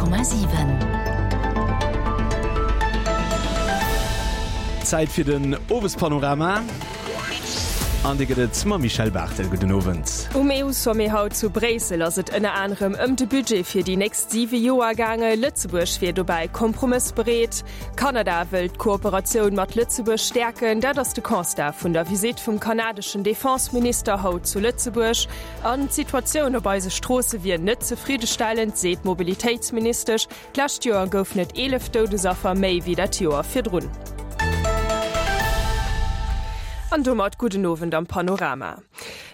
100,7. Zäit fir den Owespanorama an dee gëtt et mam Michèle Barthel. Gudden Owend. Um EU-Sommet haut zu Bréissel ass et ënner anerem ëm de Budget fir déi nächst siwe Joer gaange. Lëtzebuerg wier dobäi kompromëssbereet. Kanada wëll d'Kooperatioun mat Lëtzebuerg stäerken. Dat ass de Constat vun der Visitt vum kanadeschen Defenseminister haut zu Lëtzebuerg. An d'Situatioun op eise Stroosse wier net zefriddestellend, seet d'Mobilitéitsministesch. D'lescht Joer goufen et 11 Doudesaffer méi wéi dat Joer virdrun. An domat gudden Owend am Panorama.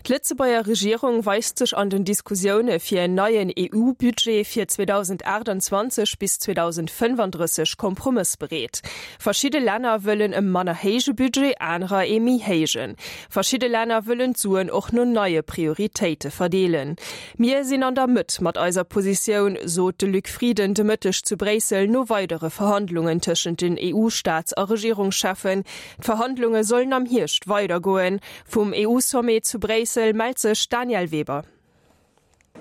D'Lëtzebuerger Regierung weist sech an den Diskussioune fir en neien EU-Budget fir 2028 bis 2035 kompromëssbereet. Verschidde Länner wëllen e manner héije Budget, anerer ee méi héijen. Verschidde Länner wëllen d'Suen och no neie Prioritéite verdeelen. Mir sinn an der Mëtt mat eiser Positioun, sot de Luc Frieden de Mëtteg zu Bréissel no weidere Verhandlungen tëschent den EU-Staats a Regierungscheffen. D'Verhandlunge sollen am Hierscht weidergoen. Vum EU-Sommet zu Bréissel mellt sech d'Danièle Weber.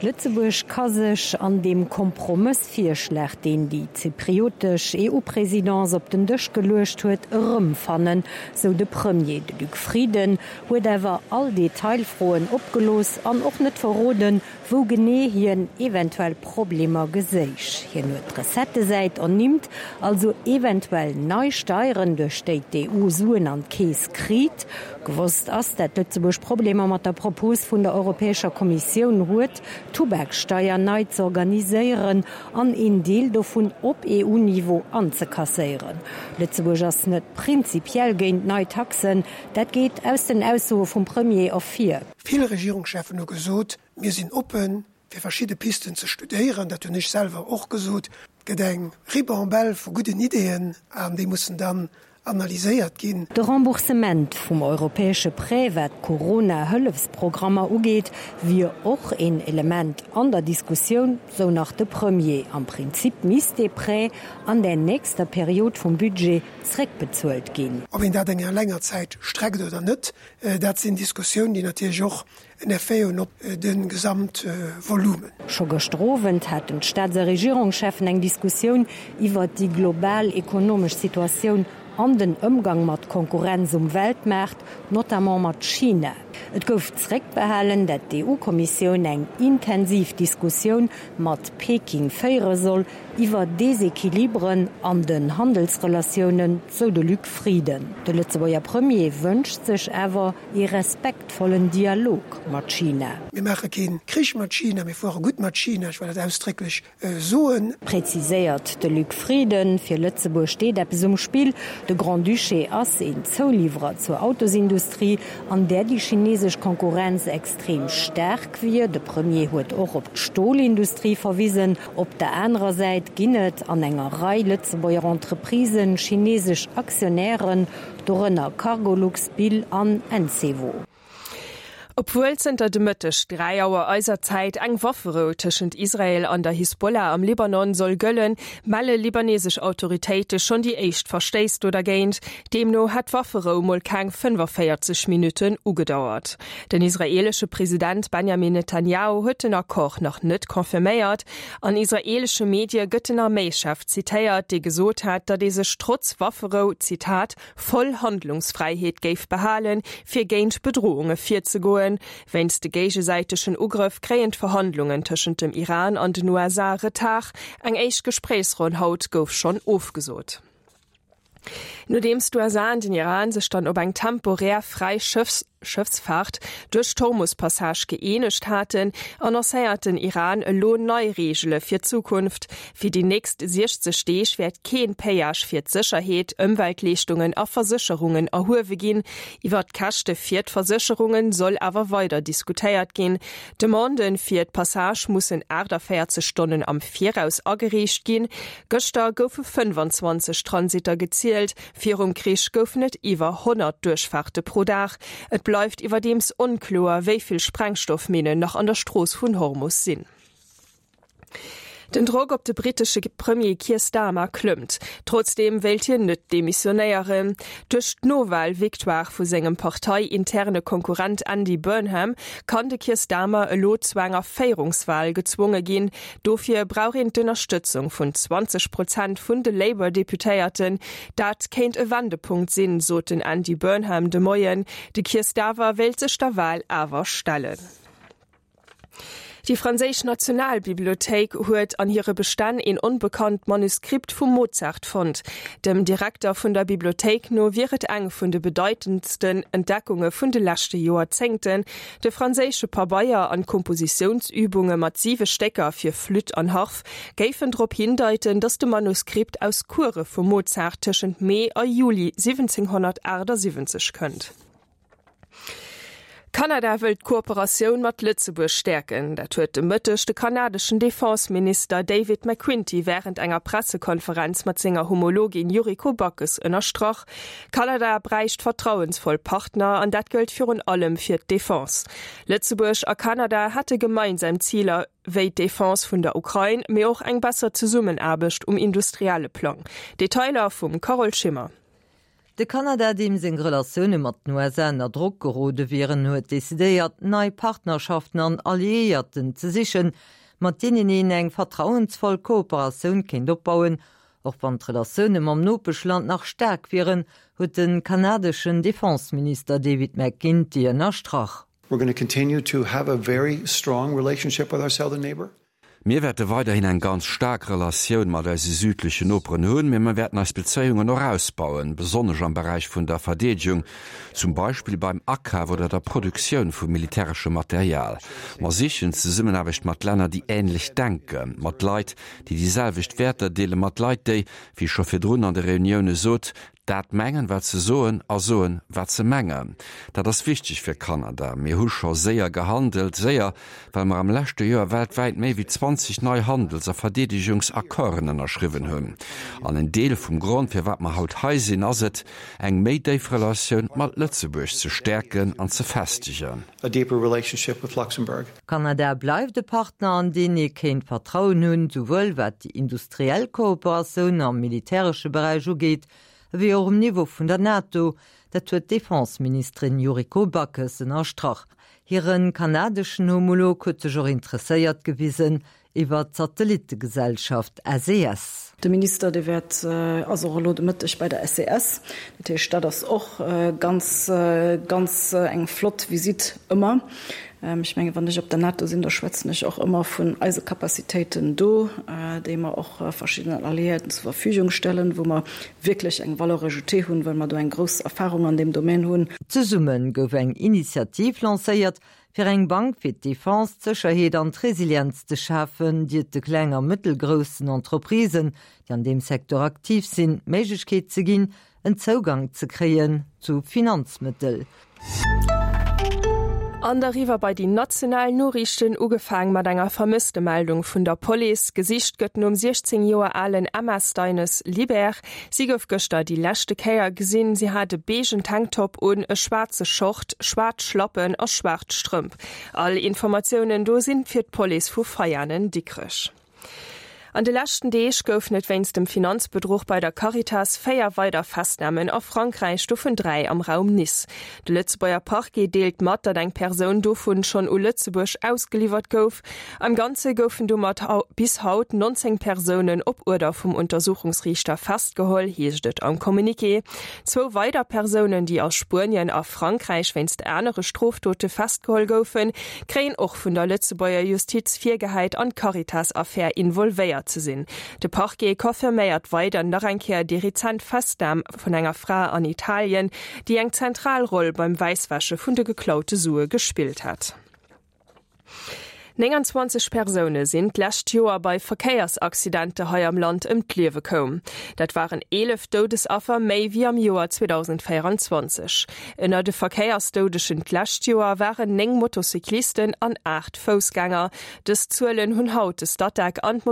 Lëtzebuerg ka sech an deem Kompromëssvirschlag, deen déi zypriotesch EU-Présidence op den Dësch geluecht huet, erëmfannen, sou de Premier. De Luc Frieden huet awer all Detailfroen opgelooss an och net verroden, wou genee hien eventuell Problemer geséich. Hien huet d'Recettesäit ernimmt, also eventuell nei Steieren, duerch déi d'EU Suen an d'Keess kriit. Gewosst ass, dat Lëtzebuerg Problemer mat der Propos vun der Europäescher Kommissioun huet, d'Tubaksteier nei z'organiséieren an een Deel dovun op EU-Niveau anzekasséieren. Lëtzebuerg ass net prinzipiell géint nei Taxen, dat geet aus den Aussoe vum Premier ervir. Vill Regierungscheffen hu gesot, mir sinn oppen, fir verschidde Pisten ze studéieren. Dat hunn ech selwer och gesot. Et gëtt eng Ribambelle vu gudden Ideeën an déi mussen dann analyséiert ginn. De Remboursement vum europäesche Prêt, wat d'Corona-Hëllefsprogrammer ugeet, wier och een Element an der Diskussioun, sou nach de Premier. Am Prinzip misst dee Prêt an der nächster Period vum Budget zréckbezuelt ginn. Ob een dat enger länger Zäit streckt oder net, dat sinn Diskussiounen, déi natierlech och en Effet hunn op de Gesamtvolumen. Scho gëschter Owend haten d'Staats a Regierungscheffen eng Diskussioun iwwert déi global ekonomesch Situatioun an den Ëmgang mat Konkurrenz um Weltmaart, notamment mat China. Et gouf zeréckbehalen, dat d'EU-Kommissioun eng intensiv Diskussioun mat Peking féiere soll iwwer Desequilibren an den Handelsrelatiounen, sou de Luc Frieden. De Lëtzebuerger Premier wënscht sech awer ee respektvollen Dialog mat China. Mir maache kee Krich mat China, mir fuere gutt mat China, ech well dat ausdrécklech soen. Präziséiert de Luc Frieden. Fir Lëtzebuerg steet eppes um Spill. De Grand-Duché ass een Zouliwwerer zur Autosindustrie, an där déi chinesesch Konkurrenz extrem staark wier. De Premier huet och op d'Stolindustrie verwisen. Op der anerer Säit ginn et an enger Rei Lëtzebuerger Entreprisen chinesesch Aktionären, Dorënner Cargolux, Bill an Encevo. Obwuel zënter de Mëtteg 3 Auer eiser Zäit eng Wafferou tëschent Israel an der Hisbollah am Libanon soll gëllen, melle libanesesch Autoritéite schonn déi éischt Verstéiss do dergéint. Deemno hätt d'Wafferou mol keng 45 Minutten ugedauert. Den israeelesche President Benjamin Netanjahu huet den Accord nach net confirméiert. An israeelesche Medie gëtt den Arméischef zitéiert, dee gesot hat, datt ee sech trotz Wafferou, Zitat, voll Handlungsfräiheet géif behalen, fir géint Bedrohunge virzegoen. Wéinst de géigesäitegen Ugrëff kréien d'Verhandlungen tëschent dem Iran an den USA Retard. Eng éischt Gespréichsronn haut gouf schonn ofgesot. Nodeems d'USA an den Iran sech dann op eng temporär fräi Schëffsfaart duerch d'Hormus-Passage gëeenegt haten, annoncéiert den Iran elo nei Reegele fir d'Zukunft. Fir déi nächst 60 Deeg wäert keen Péage fir d'Sécherheet, Ëmweltleeschtungen a Versécherungen erhuewe ginn. Iwwer d'Käschte fir d'Versécherunge soll awer weider diskutéiert ginn. D'Demanden fir d'Passage mussen 48 Stonnen am Viraus agereecht ginn. Gëschter goufe 25 Transitter gezielt, virum Krich goufen et iwwer 100 Duerchfaarte pro Dag. Et bleift iwwerdeems onkloer, wéi vill Sprengstoffminnen nach an der Strooss vun Hormus sinn. Den Drock op de brittesche Premier Keir Starmer klëmmt. Trotzdeem wéilt hien net demissionéieren. Duerch d'Nowal-Victoire vu sengem parteiinterne Konkurrent Andy Burnham kann de Keir Starmer elo zu enger Féierungswal gezwonge ginn. Dofir brauch een d'Ënnerstëtzung vun 20 Prozent vun de Labour-Deputéierten. Dat kéint e Wendepunkt sinn, sot den Andy Burnham de Moien. De Keir Staver wéilt sech der Wal awer stellen. Déi franséisch Nationalbibliothéik huet an hire Bestänn een onbekannt Manuskript vum Mozart fonnt. Dem Direkter vun der Bibliothéik no wier et eng vun de bedeitendsten Entdeckunge vun de leschte Joerzéngten. De franséische Pabeier an d'Kompositiounsübunge mat siwe Stécker fir Flütt an Harf géifen drop hindeiten, datt de Manuskript aus Course vum Mozart tëschent Mee a Juli 1778 kënnt. Kanada wëllt d'Kooperatioun mat Lëtzebuerg stäerken. Dat huet de Mëtteg de kanadeschen Defense-Minister David McQuinty wärend enger Pressekonferenz mat senger Homologin Yuriko Backes ënnerstrach. Kanada bräicht vertrauensvoll Partner an dat gëllt virun allem fir d'Defense. Lëtzebuerg a Kanada hätte gemeinsam Ziler, wéi d'Defense vun der Ukrain, mee och eng besser Zesummenaarbecht um industrielle Plang. Detailer vum Carole Schimmer. De Kanada, deem seng Relatioune mat den USA ënner Drock gerode wieren, huet decidéiert, nei Partnerschaften an Alliéierten ze sichen, mat deenen een eng vertrauensvoll Kooperatioun kéint opbauen. Och wann d'Relatioune mam Nopeschland nach staark wieren, huet de kanadeschen Defenseminister David McGuinty ënnerstrach. We're gonna continue to have a very strong relationship with our southern neighbour. Mir wäerte weiderhin eng ganz staark Relatioun mat eise südlechen Noperen hunn, mee mir wäerten eis Bezéiungen och ausbauen, besonnesch am Beräich vun der Verdeedegung, zum Beispill beim Akaf oder der Produktioun vu militäreschem Material. Mer sichen d'Zesummenaarbecht mat Länner, déi änlech denken, mat Leit, déi déi selwecht Wäerter deelen, mat Leit, déi, wéi ech scho virdrun an de Reunioune sot, Dat mengen, wat se soen, a soen, wat se mengen. Dat ass wichteg fir Kanada. Mir hu scho séier gehandelt, séier, well mer am leschte Joer weltwäit méi wéi 20 nei Handels a Verdeedegungsaccorden ënnerschriwwen hunn. An en Deel vum Grond, firwat mer haut hei sinn, ass et, eng méi déif Relatioun mat Lëtzebuerg ze stäerken an ze festegen. A deeper relationship with Luxembourg. Kanada bleift e Partner, an deen ee kéint Vertrauen hunn, souwuel wat déi industriell Kooperatioun am militäresche Beräich ugeet, ewéi och um Niveau vun der NATO. Dat huet d'Defenseministerin Yuriko Backes ënnerstrach. Hire kanadeschen Homolog huet sech och interesséiert gewisen Iwwer d'Satellittegesellschaft SES. De Minister, dee wäert, ass och elo de Mëtteg bei der SES. Dat heescht, dat ass och ganz, ganz eng flott Visitt ëmmer. Ech menge wann ech op der NATO sinn, da schwätzen ech och ëmmer vun eise Capacitéiten do, déi mer och verschiddenen Alliéierten zur Verfügung stellen, wou mer wierklech eng Valeur ajoutée hunn, well mer do eng grouss Erfahrung an deem Domaine hunn. Zesumme gouf eng Initiativ lancéiert, Fir eng Bank fir d'Defense, d'Sécherheet an d'Resilienz ze schafen, déi et de kleng a mëttelgroussen Entreprisen, déi an deem Secteur aktiv sinn, d'Méiglechkeet ze ginn, en Zougang ze kréien zu Finanzmëttel. An da riwwer bei déi national Noriichten, ugefaang mat enger Vermësstemeldung vun der Police. Gesicht gëtt nom 16 Joer alen Emma Steines Libert. Si gouf gëschter déi leschte Kéier gesinn. Si hat e beigen Tanktop un, e schwaarze Short, schwaarz Schlappen a schwaarz Strëmp. All Informatiounen do sinn fir d'Police vu Veianen Dikrech. An de leschten Deeg goufen et wéinst dem Finanzbedruch bei der Caritas 4 weider Festnamen a Frankräich, dovun 3 am Raum Nice. De Lëtzebuerger Parquet deelt mat, datt eng Persoun dovun schonn u Lëtzebuerg ausgeliwwert gouf. Am Ganze goufen domat bis haut 19 Persounen op Uerder vum Untersuchungsriichter festgeholl, heescht et am Communiqué. Zwou weider Persounen, déi a Spuenien a Frankräich wéinst anere Strofdote festgeholl goufen, kréien och vun der Lëtzebuerger Justiz virgehäit, an d'Caritas-Affär involvéiert ze sinn. De Parquet confirméiert weider nach eng Kéier déi rezent Festnam vun enger Fra an Italien, déi eng zentral Roll beim Wäisswäsche vun de geklaute Sue gespillt hat. 29 Persoune sinn d'lescht Joer bei Verkéiersaccidenter hei am Land ëm d'Liewe koum. Dat waren 11 Doudesaffer méi wéi am Joer 2024. Ënner de Verkéiersdoudegen d'lescht Joer waren 9 Motocyclisten an 8 Foussgänger. Dës Zuelen hunn haut de Statec an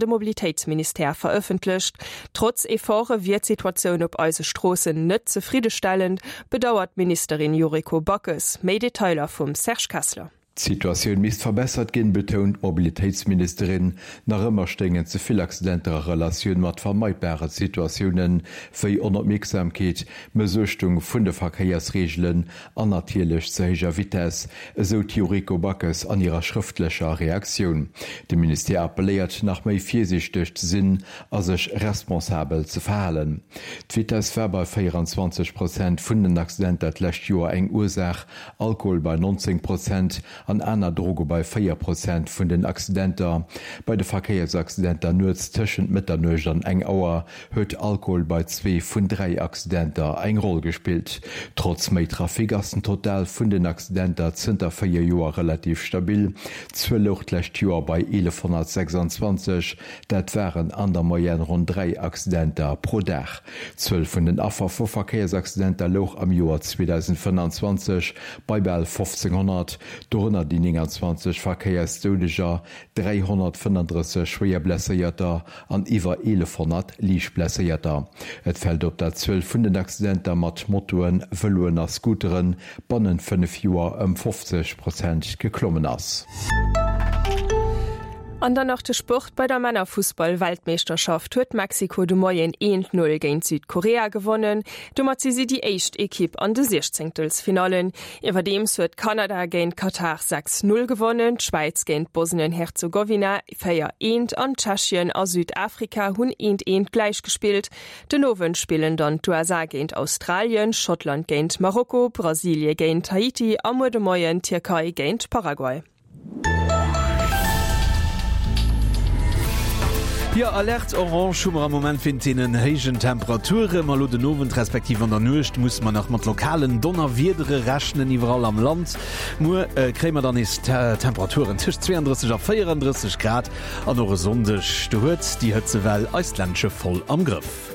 de Mobilitéitsministère verëffentlecht. Trotz Efforte wier d'Situatioun op eise Stroossen net zefriddestellend, bedauert d'Ministerin Yuriko Backes. Méi Detailer vum Serge Kessler. D'Situatioun misst verbessert ginn, betount d'Mobilitéitsministerin. Nach ëmmer stéingen ze vill Accidenter a Relatioun mat vermeidbare Situatiounen, wéi Onopmierksamkeet, Mëssuechtung vun de Verkéiersreegelen an natierlech ze héijer Vitess, esou d'Yuriko Backes an hirer schrëftlecher Reaktioun. De Ministère appelléiert, nach méi virsiichteg ze sinn a sech responsabel ze verhalen. D'Vitess war bei 24 Prozent vun den Accidenter d'lescht Joer eng Ursaach, Alkohol bei 19 Prozent an aner Droge bei 4 Prozent vun den Accidenter. Bei de Verkéiersaccidenter nuets tëschent Mëtternuecht an eng Auer huet Alkohol bei zwee vun 3 Accidenter eng Roll gespillt. Trotz méi Trafic ass den Total vun den Accidenter zënter 4 Joer relativ stabil. D'Zuel louch d'lescht Joer bei 1126, dat waren an der Moyenne ronn 3 Accidenter pro Dag. D'Zuel vun den Affer vu Verkéiersaccidenter louch am Joer 2025 bei bal 1.500, dorënner déi 29 Verkéiersdoudeger, 335 schwéier Blesséierter an iwwer 1.100 liicht Blesséierter. Et fält op, dat d'Zuel vun den Accidenter mat Motoen, Vëloen a Scooteren bannent 5 Joer ëm 50 Prozent geklommen ass. An dann nach de Sport, Bei der Männerfussball-Weltmeeschterschaft huet Mexiko de Moien 1, 0 géint Südkorea gewonnen. Domat si si déi éischt Ekipp an de Siechzéngtelsfinallen. Iwwerdeems huet Kanada géint Katar 6, 0 gewonnen, d'Schwäiz géint Bosnien-Herzegowina 4, 1 an Tschechien a Südafrika hunn 1, 1 gläichgespillt. Den Owend spillen dann d'USA géint Australien, Schottland géint Marokko, Brasilie géint Haiti a muer de Moien d'Tierkei géint Paraguay. Jo, Alerte orange hu mer am Moment wéint deenen héijen Temperature. Ma elo den Owend respektiv an der Nuecht musse mer nach mat lokalen Donnerwiedere rechnen iwwerall am Land. Muer kréie mer dann nees Temperaturen tëscht 32 a 34 Grad an och e Sonndeg, do huet déi Hëtzewell eist Ländche voll am Grëff.